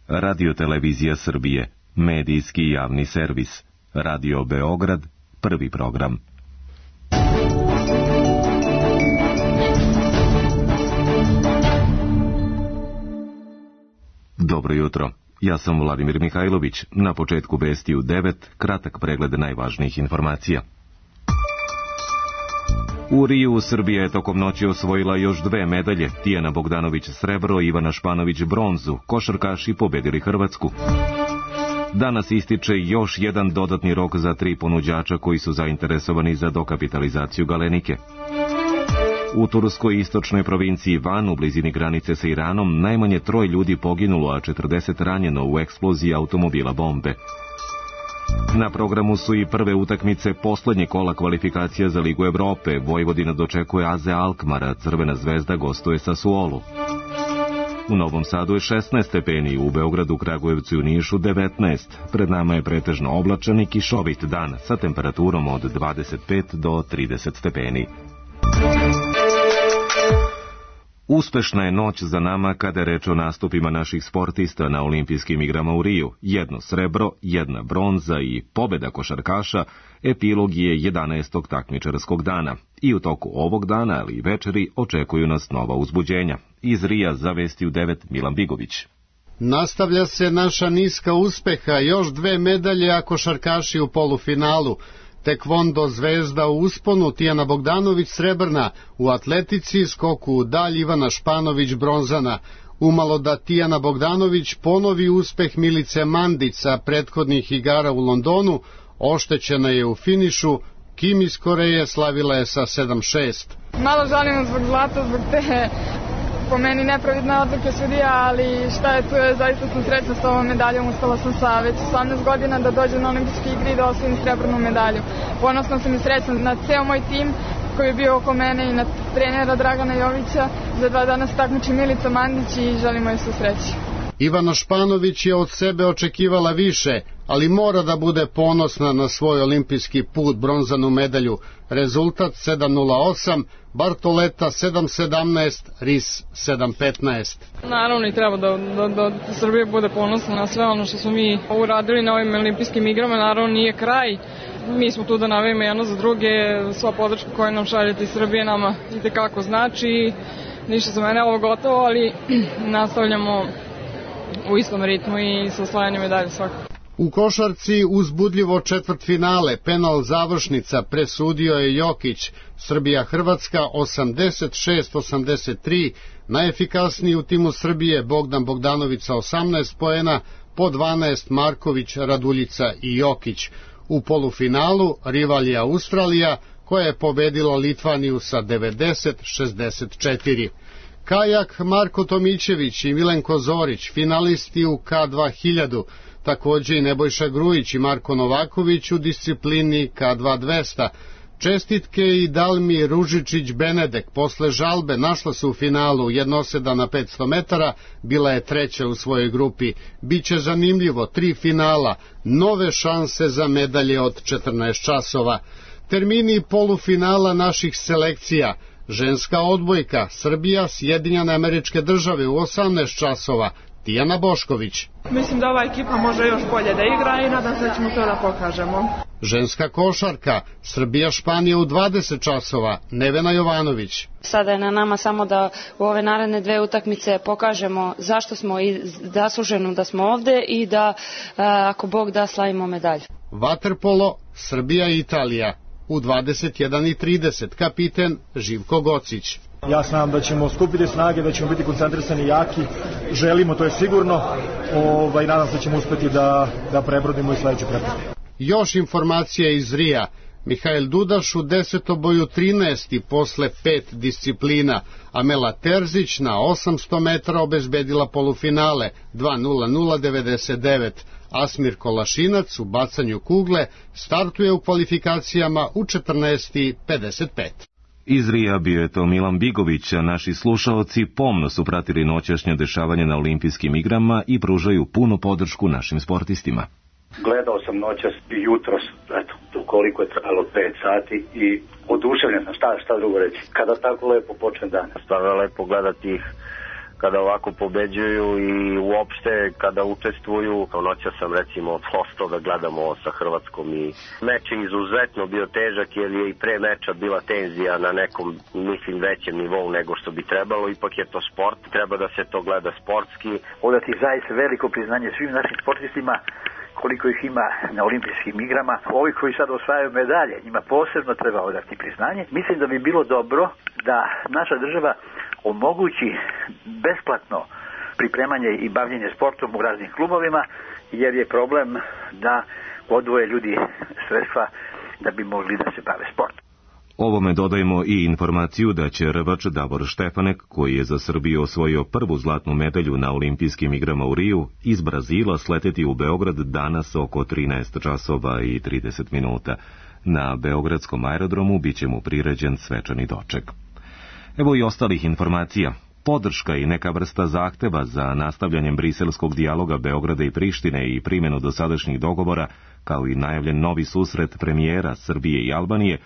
Radio-televizija Srbije, medijski javni servis, Radio Beograd, prvi program. Dobro jutro, ja sam Vladimir Mihajlović. Na početku vesti u 9, kratak pregled najvažnijih informacija. U Riju Srbija je tokom noći osvojila još 2 medalje, Tijana Bogdanović srebro, Ivana Španović bronzu, košarkaši pobedili Hrvatsku. Danas ističe još jedan dodatni rok za 3 ponuđača koji su zainteresovani za dokapitalizaciju Galenike. U turskoj istočnoj provinciji Van, u blizini granice sa Iranom, najmanje 3 ljudi poginulo, a 40 ranjeno u eksploziji automobila bombe. Na programu su i prve utakmice poslednje kola kvalifikacija za Ligu Evrope. Vojvodina dočekuje AZ Alkmara, Crvena zvezda gostuje Sassuolu. U Novom Sadu je 16 stepeni, u Beogradu, Kragujevcu i u Nišu 19. Pred nama je pretežno oblačan i kišovit dan sa temperaturom od 25 do 30 stepeni. Uspešna je noć za nama kada je reč o nastupima naših sportista na olimpijskim igrama u Riju. 1 srebro, 1 bronza i pobeda košarkaša epilog je 11. takmičarskog dana. I u toku ovog dana, ali i večeri, očekuju nas nova uzbuđenja. Iz Rija za vesti u 9 Milan Bigović. Nastavlja se naša niska uspeha, još 2 medalje, a košarkaši u polufinalu. Tekvondo Zvezda u usponu, Tijana Bogdanović srebrna, u atletici skoku u dalj Ivana Španović bronzana. Umalo da Tijana Bogdanović ponovi uspeh Milice Mandić sa prethodnih igara u Londonu, oštećena je u finišu, Kim iz Koreje slavila je sa 7-6. Malo žalimo zbog zlata, zbog te po meni nepravidne odluke sudija, ali šta je tu, zaista sam srećna s ovom medaljom, uspela sam sa već 18 godina da dođem na olimpijske igre i da osvojim srebrnu medalju. Ponosna sam i srećna na ceo moj tim koji je bio oko mene i na trenera Dragana Jovića. Za 2 dana se takmiči Milica Mandić i želimo joj sve sreće. Ivana Španović je od sebe očekivala više, ali mora da bude ponosna na svoj olimpijski put, bronzanu medalju. Rezultat 7:08, Bartoleta 7:17, Ris 7:15. Naravno i treba da Srbija bude ponosna na sve ono što smo mi uradili na ovim olimpijskim igrama. Naravno nije kraj, mi smo tu da navijemo jedno za druge, sva podrška koju nam šaljete iz Srbije nama itekako znači. Ništa za mene ovo gotovo, ali nastavljamo u istom ritmu i sa osvajanjem medalje svakako. U košarci uzbudljivo četvrtfinale, penal završnica, presudio je Jokić. Srbija-Hrvatska 86-83, najefikasniji u timu Srbije Bogdan Bogdanović sa 18 poena, po 12 Marković, Raduljica i Jokić. U polufinalu rival je Australija, koja je pobedila Litvaniju sa 90-64. Kajak Marko Tomićević i Milenko Zorić, finalisti u K2000, također i Nebojša Grujić i Marko Novaković u disciplini K2200. Čestitke i Dalmi Ružičić-Benedek posle žalbe našla se u finalu, jednoseda na 500 metara, bila je 3. u svojoj grupi. Biće zanimljivo, 3 finala, nove šanse za medalje od 14 časova. Termini polufinala naših selekcija: ženska odbojka, Srbija, Sjedinjene Američke Države u 18 časova, Tijana Bošković. Mislim da ova ekipa može još bolje da igra i nadam se da ćemo to da pokažemo. Ženska košarka, Srbija, Španija u 20 časova, Nevena Jovanović. Sada je na nama samo da u ove naredne 2 utakmice pokažemo zašto smo i zasluženo da smo ovde i da, ako Bog da, slavimo medalju. Vaterpolo, Srbija i Italija u 21:30, kapiten Živko Gocić. Ja znam da ćemo skupiti snage, da ćemo biti koncentrisani i jaki, želimo, to je sigurno, nadam se da ćemo uspeti da prebrodimo i sledeću prepreku. Još informacija iz Rija. Mihajl Dudaš u 10-boju 13. posle 5 disciplina. Amela Terzić na 800 metara obezbedila polufinale 2:00:99. Asmir Kolašinac u bacanju kugle startuje u kvalifikacijama u 14:55. Iz Rija bio je to Milan Bigović, a naši slušaoci pomno su pratili noćašnje dešavanje na olimpijskim igrama i pružaju punu podršku našim sportistima. Gledao sam noćas i jutros, koliko je trajalo 5 sati i oduševljen sam, šta drugo reći, kada tako lepo počne dan. Stvarno je lepo gledati ih kada ovako pobeđuju i uopšte kada učestvuju. Noća sam recimo postao da gledamo ovo sa Hrvatskom i meč je izuzetno bio težak jer je i pre meča bila tenzija na nekom, mislim, većem nivou nego što bi trebalo. Ipak je to sport, treba da se to gleda sportski. Odati zaista veliko priznanje svim našim sportistima, koliko ih ima na olimpijskim igrama. Ovi koji sad osvajaju medalje, njima posebno treba odati priznanje. Mislim da bi bilo dobro da naša država omogući besplatno pripremanje i bavljenje sportom u raznim klubovima, jer je problem da odvoje ljudi sredstva da bi mogli da se bave sportom. Ovome dodajemo i informaciju da će rvač Davor Štefanek, koji je za Srbiju osvojio prvu zlatnu medalju na olimpijskim igrama u Riju, iz Brazila sleteti u Beograd danas oko 13 časova i 30 minuta. Na beogradskom aerodromu biće mu priređen svečani doček. Evo i ostalih informacija. Podrška i neka vrsta zahteva za nastavljanjem briselskog dijaloga Beograda i Prištine i primjenu dosadašnjih dogovora, kao i najavljen novi susret premijera Srbije i Albanije,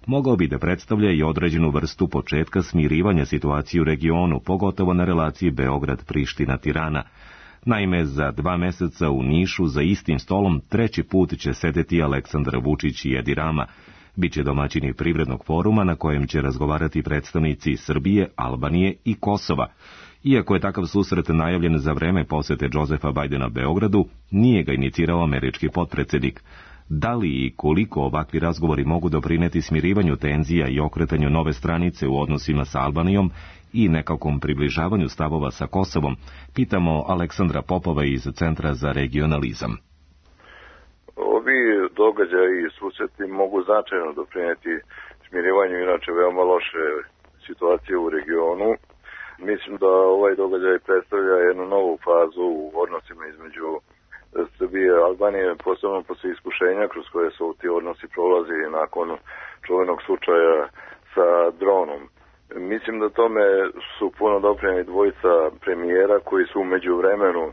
mogao bi da predstavlja i određenu vrstu početka smirivanja situacije u regionu, pogotovo na relaciji Beograd-Priština-Tirana. Naime, za 2 meseca u Nišu za istim stolom 3. put će sedeti Aleksandar Vučić i Edi Rama. Biće domaćini privrednog foruma na kojem će razgovarati predstavnici Srbije, Albanije i Kosova. Iako je takav susret najavljen za vreme posete Josefa Bajdena Beogradu, nije ga inicirao američki potpredsjednik. Da li i koliko ovakvi razgovori mogu doprineti smirivanju tenzija i okretanju nove stranice u odnosima sa Albanijom i nekakvom približavanju stavova sa Kosovom, pitamo Aleksandra Popova iz Centra za regionalizam. Ovi događaji i susreti mogu značajno doprineti smirivanju inače veoma loše situacije u regionu. Mislim da ovaj događaj predstavlja jednu novu fazu u odnosima između Srbije i Albanije, posebno posle iskušenja kroz koje su ti odnosi prolazili nakon čuvenog slučaja sa dronom. Mislim da tome su puno doprineli dvojica premijera koji su umeđu vremenu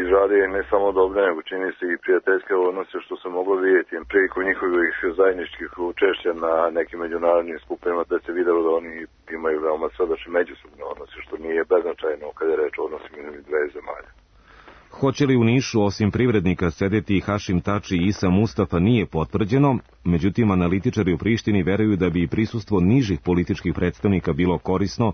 izradili ne samo dobre, nego čini se i prijateljske odnose, što se moglo vidjeti prilikom njihovih zajedničkih učešća na nekim međunarodnim skupovima, da se videlo da oni imaju veoma srdačne međusobne odnose, što nije beznačajno kada je reč o odnosima između dve zemalja. Hoće li u Nišu osim privrednika sedeti Hašim Tači i Isa Mustafa nije potvrđeno, međutim analitičari u Prištini veruju da bi prisustvo nižih političkih predstavnika bilo korisno.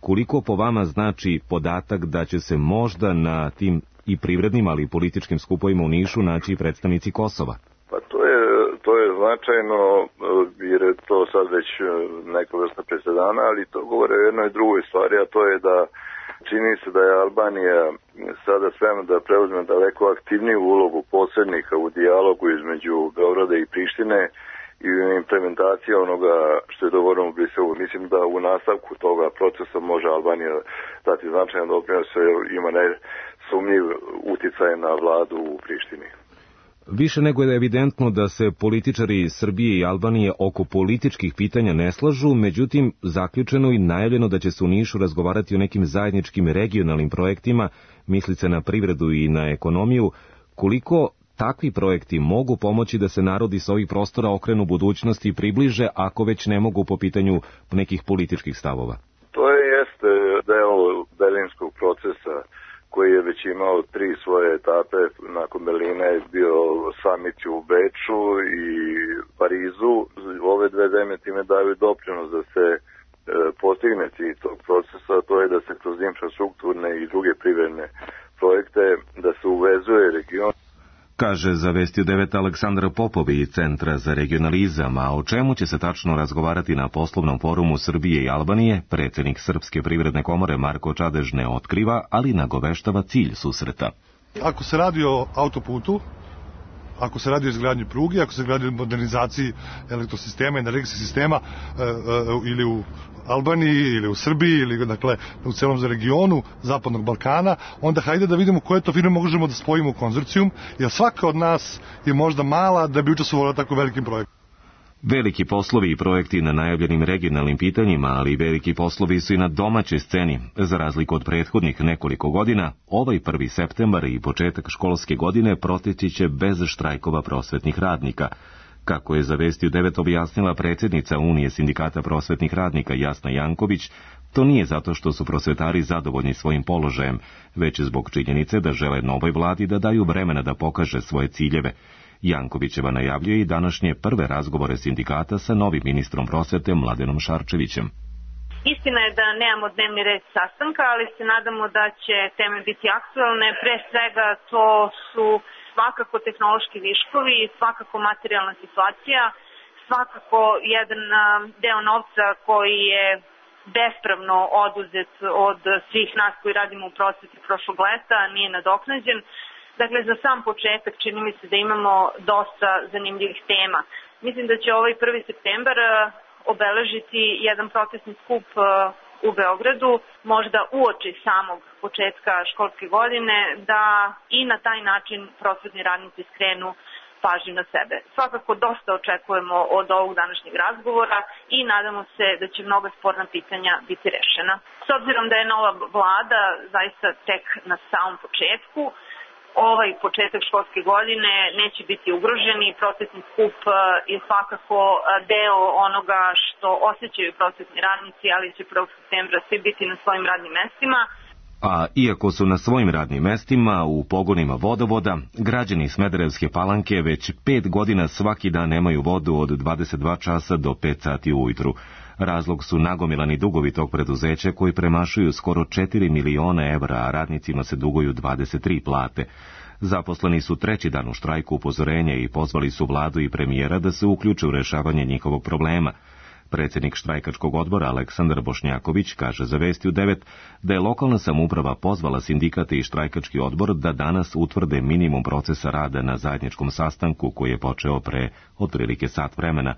Koliko po vama znači podatak da će se možda na tim i privrednim, ali i političkim skupovima u Nišu naći predstavnici Kosova? Pa to je značajno, jer je to sad već neka vrsta presedana, ali to govore o jednoj drugoj stvari, a to je da čini se da je Albanija sada spremna da preuzme daleko aktivniju ulogu posrednika u dijalogu između Beograda i Prištine i implementacija onoga što je dogovoreno u Briselu. Mislim da u nastavku toga procesa može Albanija dati značajan doprinos, jer ima nesumnjiv uticaj na vladu u Prištini. Više nego je evidentno da se političari Srbije i Albanije oko političkih pitanja ne slažu, međutim zaključeno i najavljeno da će se u Nišu razgovarati o nekim zajedničkim regionalnim projektima, misli se na privredu i na ekonomiju. Koliko takvi projekti mogu pomoći da se narodi s ovih prostora okrenu budućnosti i približe, ako već ne mogu po pitanju nekih političkih stavova? To jeste deo berlinskog procesa koji je već imao 3 svoje etape. Nakon Berlina je bio samit u Beču i Parizu. Ove dve zemlje time daju doprinos da se postigne cilj tog procesa, to je da se kroz infrastrukturne i druge privredne projekte da se uvezuje region. Kaže za Vesti u 9 Aleksandar Popov iz Centra za regionalizam, a o čemu će se tačno razgovarati na poslovnom forumu Srbije i Albanije, predsjednik Srpske privredne komore Marko Čadež ne otkriva, ali nagoveštava cilj susreta. Ako se radi o autoputu, ako se radi o izgradnji pruge, ako se radi o modernizaciji elektrosistema, energetskog sistema ili u Albaniji ili u Srbiji ili dakle u celom regionu Zapadnog Balkana, onda hajde da vidimo koje to firme možemo da spojimo u konzorcijum, jer svaka od nas je možda mala da bi učestvovala tako velikim projektom. Veliki poslovi i projekti na najavljenim regionalnim pitanjima, ali i veliki poslovi su i na domaćoj sceni. Za razliku od prethodnih nekoliko godina, ovaj 1. septembar i početak školske godine proteći će bez štrajkova prosvetnih radnika. Kako je za Vesti u 9 objasnila predsjednica Unije sindikata prosvetnih radnika Jasna Janković, To nije zato što su prosvetari zadovoljni svojim položajem, već zbog činjenice da žele novoj vladi da daju vremena da pokaže svoje ciljeve. Jankovićeva najavljuje i današnje prve razgovore sindikata sa novim ministrom prosvete Mladenom Šarčevićem. Istina je da nemamo dnevni red sastanka, ali se nadamo da će teme biti aktualne. Pre svega to su svakako tehnološki viškovi, svakako materijalna situacija, svakako jedan deo novca koji je bespravno oduzet od svih nas koji radimo u prosveti prošlog leta, nije nadoknađen. Dakle, za sam početak čini mi se da imamo dosta zanimljivih tema. Mislim da će ovaj 1. septembar obeležiti jedan protestni skup u Beogradu, možda uoči samog početka školske godine, da i na taj način prosvetni radnici skrenu pažnju na sebe. Svakako dosta očekujemo od ovog današnjeg razgovora i nadamo se da će mnoga sporna pitanja biti rešena. S obzirom da je nova vlada zaista tek na samom početku, ovaj početak školske godine neće biti ugrožen i protestni skup je svakako deo onoga što osjećaju prosvetni radnici, ali će 1. septembra svi biti na svojim radnim mestima. A iako su na svojim radnim mestima u pogonima vodovoda, građani Smederevske Palanke već 5 godina svaki dan nemaju vodu od 22 časa do 5 sati ujutru. Razlog su nagomilani dugovi tog preduzeća koji premašuju skoro 4 miliona evra, a radnicima se duguju 23 plate. Zaposleni su 3. dan u štrajku upozorenja i pozvali su vladu i premijera da se uključe u rešavanje njihovog problema. Predsjednik štrajkačkog odbora Aleksandar Bošnjaković kaže za Vesti u 9 da je lokalna samouprava pozvala sindikate i štrajkački odbor da danas utvrde minimum procesa rada na zajedničkom sastanku koji je počeo pre otprilike sat vremena.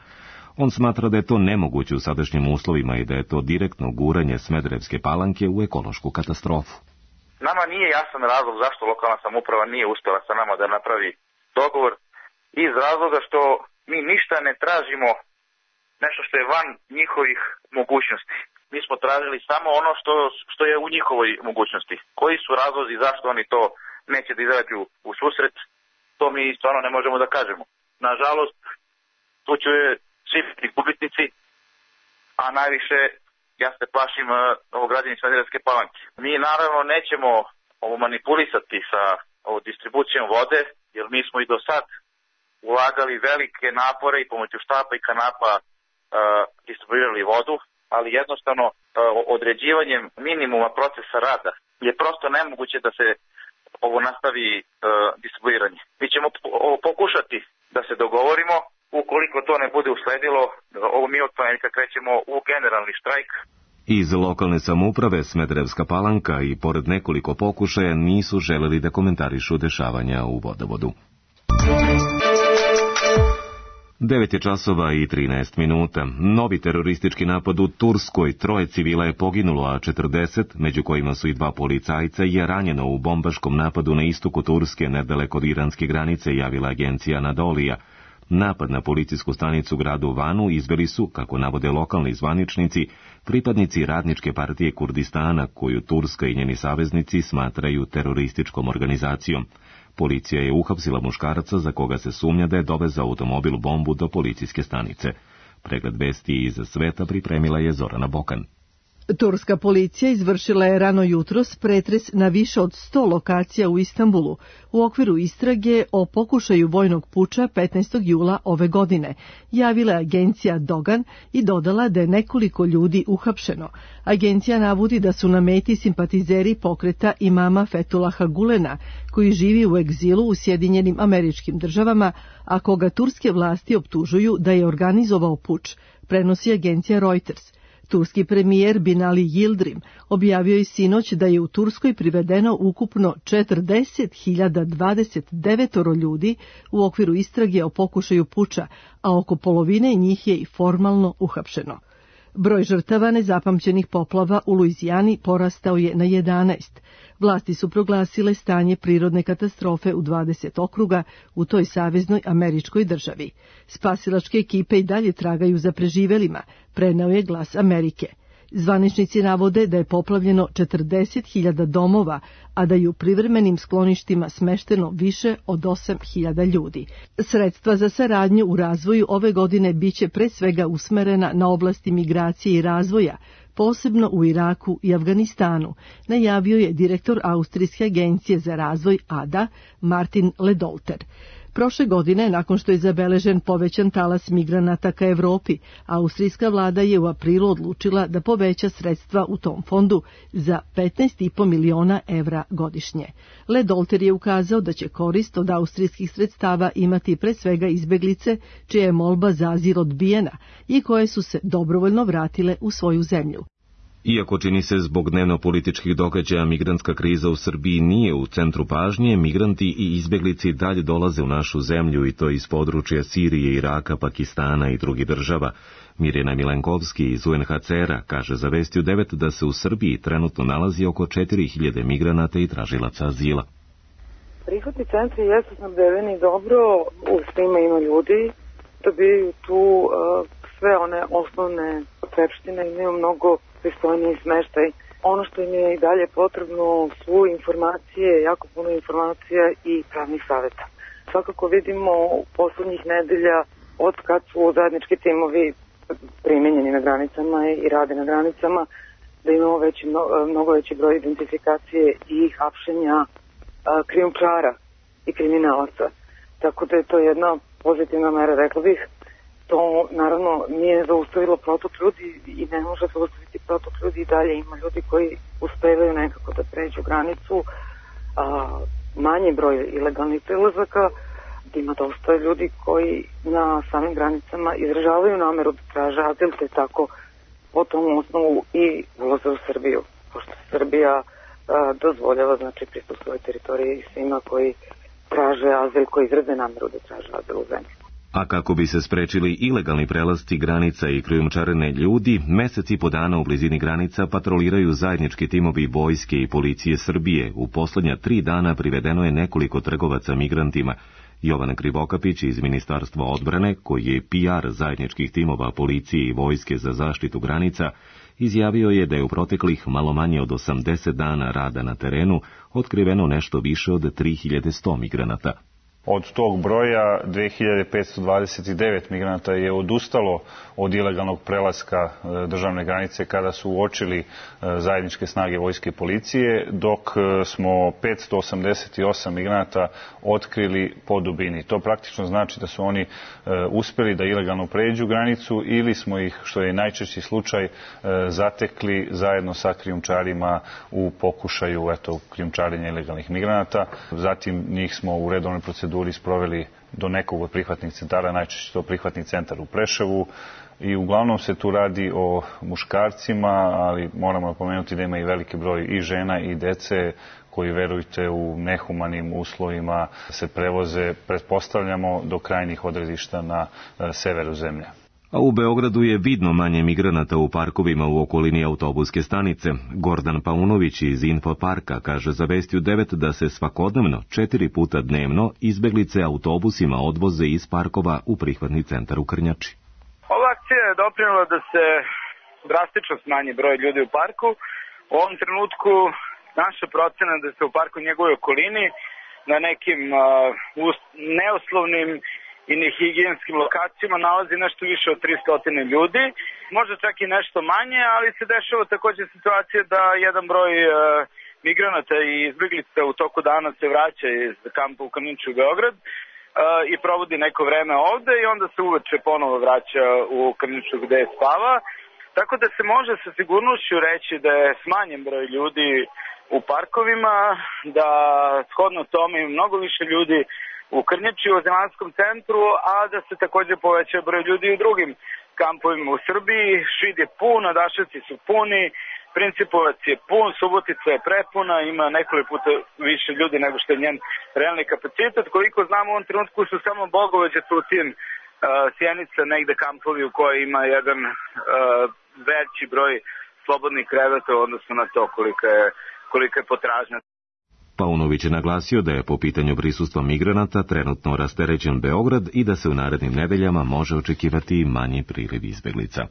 On smatra da je to nemoguće u sadašnjim uslovima i da je to direktno guranje Smederevske Palanke u ekološku katastrofu. Nama nije jasan razlog zašto lokalna samouprava nije uspjela sa nama da napravi dogovor, iz razloga što mi ništa ne tražimo nešto što je van njihovih mogućnosti. Mi smo tražili samo ono što je u njihovoj mogućnosti. Koji su razlozi zašto oni to neće da izađu u susret, to mi stvarno ne možemo da kažemo. Nažalost, tu će svi gubitnici, a najviše ja se plašim građani Smederevske Palanke. Mi naravno nećemo manipulisati sa distribucijom vode, jer mi smo i do sad ulagali velike napore i pomoću štapa i kanapa distribuirali vodu, ali jednostavno određivanjem minimuma procesa rada je prosto nemoguće da se nastavi distribuiranje. Mi ćemo pokušati da se dogovorimo, ukoliko to ne bude usledilo, mi od ponedjeljka krećemo u generalni štrajk. Iz lokalne samouprave Smederevska Palanka i pored nekoliko pokušaja nisu želeli da komentarišu dešavanja u vodovodu. 9:13. Novi teroristički napad u Turskoj, 3 civila je poginulo, a 40, među kojima su i 2 policajca, je ranjeno u bombaškom napadu na istoku Turske, nedaleko od iranske granice, javila agencija Anadolija. Napad na policijsku stanicu u gradu Vanu izveli su, kako navode lokalni zvaničnici, pripadnici Radničke partije Kurdistana, koju Turska i njeni saveznici smatraju terorističkom organizacijom. Policija je uhapsila muškarca za koga se sumnja da je dovezao automobil bombu do policijske stanice. Pregled vesti iz sveta pripremila je Zorana Bokan. Turska policija izvršila je rano jutros pretres na više od 100 lokacija u Istanbulu u okviru istrage o pokušaju vojnog puča 15. jula ove godine, javila je agencija Dogan i dodala da je nekoliko ljudi uhapšeno. Agencija navodi da su na meti simpatizeri pokreta imama Fethullaha Gulena, koji živi u egzilu u Sjedinjenim Američkim Državama, a koga turske vlasti optužuju da je organizovao puč, prenosi agencija Reuters. Turski premijer Binali Yildirim objavio je sinoć da je u Turskoj privedeno ukupno 40.029 ljudi u okviru istrage o pokušaju puča, a oko polovine njih je i formalno uhapšeno. Broj žrtava nezapamćenih poplava u Luizijani porastao je na 11. Vlasti su proglasile stanje prirodne katastrofe u 20 okruga u toj saveznoj američkoj državi. Spasilačke ekipe i dalje tragaju za preživelima, preneo je Glas Amerike. Zvaničnici navode da je poplavljeno 40.000 domova, a da je u privremenim skloništima smešteno više od 8.000 ljudi. Sredstva za saradnju u razvoju ove godine biće pre svega usmerena na oblasti migracije i razvoja, posebno u Iraku i Afganistanu, najavio je direktor Austrijske agencije za razvoj ADA Martin Ledolter. Prošle godine, nakon što je zabeležen povećan talas migranata ka Evropi, austrijska vlada je u aprilu odlučila da poveća sredstva u tom fondu za 15,5 miliona evra godišnje. Ledolter je ukazao da će korist od austrijskih sredstava imati pre svega izbeglice, čija je molba za azil odbijena i koje su se dobrovoljno vratile u svoju zemlju. Iako čini se zbog dnevno-političkih događaja migrantska kriza u Srbiji nije u centru pažnje, migranti i izbeglici dalje dolaze u našu zemlju i to iz područja Sirije, Iraka, Pakistana i drugih država. Mirjana Milenkovski iz UNHCR-a kaže za Vestiju 9 da se u Srbiji trenutno nalazi oko 4000 migranata i tražilaca azila. Prihvatni centri jesu snabdeveni dobro, u svima ima ljudi, dobijaju tu sve one osnovne potrepštine, imaju mnogo pristojniji smeštaj. Ono što im je i dalje potrebno su informacije, jako puno informacija i pravnih savjeta. Svakako vidimo u poslednjih nedelja od kad su zajednički timovi primenjeni na granicama i rade na granicama, da imamo mnogo veći broj identifikacije i hapšenja krijumčara i kriminalaca. Tako da je to jedna pozitivna mera, rekla bih. To naravno nije zaustavilo protok ljudi i ne može zaustaviti protok ljudi i dalje. Ima ljudi koji uspevaju nekako da pređu granicu, manji broj ilegalnih prelazaka, ima dosta ljudi koji na samim granicama izražavaju nameru da traže azil, te tako po tom osnovu i ulaze u Srbiju, pošto Srbija dozvoljava pristup svoje teritorije i svima koji traže azil, koji izraze nameru da traže azil u zemlji. A kako bi se sprečili ilegalni prelasci granica i krijumčarenje ljudi, mesec i po dana u blizini granica patroliraju zajednički timovi vojske i policije Srbije. U poslednja 3 dana privedeno je nekoliko trgovaca migrantima. Jovan Krivokapić iz Ministarstva odbrane, koji je PR zajedničkih timova policije i vojske za zaštitu granica, izjavio je da je u proteklih malo manje od 80 dana rada na terenu otkriveno nešto više od 3100 migranata. Od tog broja 2529 migranata je odustalo od ilegalnog prelaska državne granice kada su uočili zajedničke snage vojske i policije, dok smo 588 migranata otkrili po dubini. To praktično znači da su oni uspeli da ilegalno pređu granicu ili smo ih, što je najčešći slučaj, zatekli zajedno sa krijumčarima u pokušaju krijumčarenja ilegalnih migranata. Zatim njih smo u redovnoj proceduri sproveli do nekog od prihvatnih centara, najčešće to prihvatni centar u Preševu, i uglavnom se tu radi o muškarcima, ali moramo napomenuti da ima i veliki broj i žena i dece koji, verujte, u nehumanim uslovima se prevoze, pretpostavljamo, do krajnjih odredišta na severu zemlje. A u Beogradu je vidno manje migranata u parkovima u okolini autobuske stanice. Gordan Paunović iz Infoparka kaže za Vestiju 9 da se svakodnevno 4 puta dnevno izbeglice autobusima odvoze iz parkova u prihvatni centar u Krnjači. Ova akcija je doprinela da se drastično smanji broj ljudi u parku. U ovom trenutku naša procena da se u parku i njegovoj okolini na nekim neuslovnim i nehigijenskim lokacijama nalazi nešto više od 300 ljudi, možda čak i nešto manje, ali se dešava također situacija da jedan broj migranata i izbeglica u toku dana se vraća iz kampa u Krnjaču u Beograd i provodi neko vreme ovde i onda se uveče ponovo vraća u Krnjaču gde spava. Tako da se može sa sigurnošću reći da je smanjen broj ljudi u parkovima, da shodno tome ima mnogo više ljudi u Krnjači, u Zemanskom centru, a da se također poveća broj ljudi u drugim kampovima u Srbiji. Šid je pun, Adaševci su puni, Principovac je pun, Subotica je prepuna, ima nekoliko puta više ljudi nego što je njen realni kapacitet. Koliko znamo, u ovom trenutku su samo Bogovađa, Tutin, Sjenica, negde kampovi u kojoj ima jedan veći broj slobodnih kreveta u odnosu na to kolika je potražnja. Paunović je naglasio da je po pitanju prisustva migranata trenutno rasterećen Beograd i da se u narednim nedeljama može očekivati manji priliv izbeglica.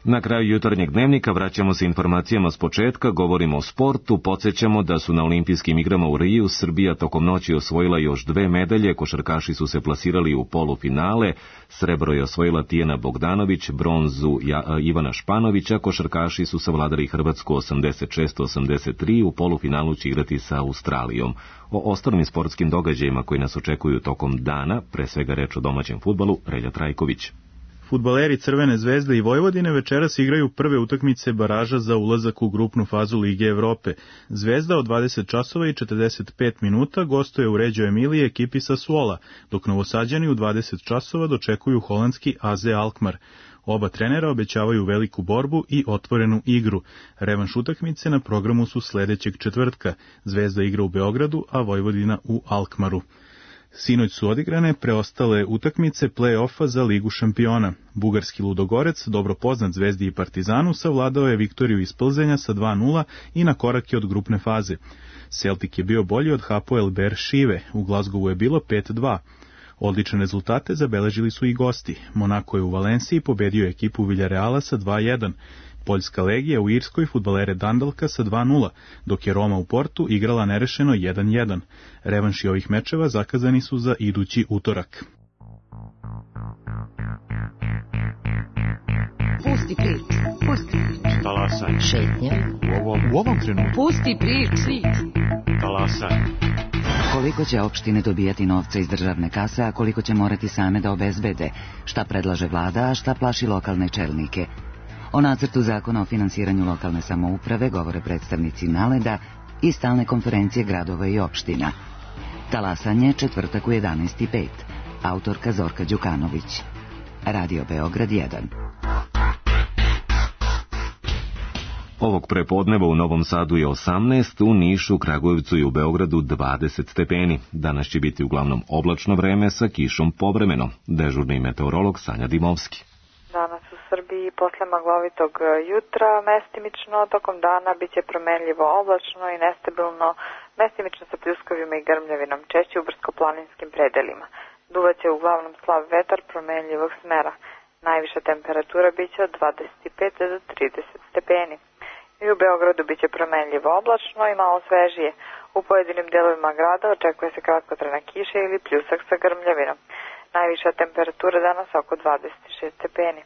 Na kraju jutarnjeg dnevnika vraćamo se informacijama s početka, govorimo o sportu, podsjećamo da su na olimpijskim igrama u Riju Srbija tokom noći osvojila još 2 medalje, košarkaši su se plasirali u polufinale, srebro je osvojila Tijana Bogdanović, bronzu Ivana Španovića, košarkaši su savladali Hrvatsku 86-83, u polufinalu će igrati sa Australijom. O ostalim sportskim događajima koji nas očekuju tokom dana, pre svega reč o domaćem fudbalu, Relja Trajković. Fudbaleri Crvene zvezde i Vojvodine večeras igraju prve utakmice baraža za ulazak u grupnu fazu Lige Evrope. Zvezda od 20 časova i 45 minuta gostuje u Reggio Emiliji ekipi Sassuola, dok Novosađani u 20 časova dočekuju holandski AZ Alkmaar. Oba trenera obećavaju veliku borbu i otvorenu igru. Revanš utakmice na programu su sledećeg četvrtka. Zvezda igra u Beogradu, a Vojvodina u Alkmaru. Sinoć su odigrane preostale utakmice play-offa za Ligu šampiona. Bugarski Ludogorec, dobro poznat Zvezdi i Partizanu, savladao je Viktoriju iz Plzenja sa 2:0 i na korak je od grupne faze. Celtic je bio bolji od Hapoel Beer-Šive, u Glasgowu je bilo 5:2. Odlične rezultate zabeležili su i gosti. Monako je u Valenciji pobedio ekipu Villarreala sa 2:1. Poljska legija u Irskoj fudbalere Dundalka sa 2:0, dok je Roma u Portu igrala nerešeno 1:1. Revanši ovih mečeva zakazani su za idući utorak. Pusti priču, pusti priču. Talasaj. Šetnja. U ovom trenutku. Pusti priču. Talasaj. Koliko će opštine dobijati novca iz državne kase, a koliko će morati same da obezbede? Šta predlaže vlada, a šta plaši lokalne čelnike? O nacrtu zakona o finansiranju lokalne samouprave govore predstavnici NALED-a i stalne konferencije gradova i opština. Talasanje, četvrtak u 11:05. Autorka Zorka Đukanović. Radio Beograd 1. Ovog prepodneva u Novom Sadu je 18, u Nišu, Kragujevcu i u Beogradu 20 stepeni. Danas će biti uglavnom oblačno vreme sa kišom povremeno. Dežurni meteorolog Sanja Dimovski. Danas u Srbiji posle maglovitog jutra mestimično tokom dana biće promenljivo oblačno i nestabilno, mestimično sa pljuskovima i grmljavinom, češće u brdsko-planinskim predelima. Duvaće uglavnom slab vetar promenljivog smera. Najviša temperatura biće od 25 do 30 stepeni. I u Beogradu biće promenljivo oblačno i malo svežije. U pojedinim delovima grada očekuje se kratkotrajna kiša ili pljusak sa grmljavinom. Najviša temperatura danas oko 26 stepeni.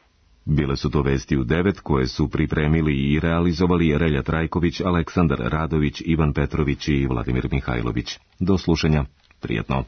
Bile su to vesti u 9 koje su pripremili i realizovali Relja Trajković, Aleksandar Radović, Ivan Petrović i Vladimir Mihajlović. Do slušanja. Prijetno.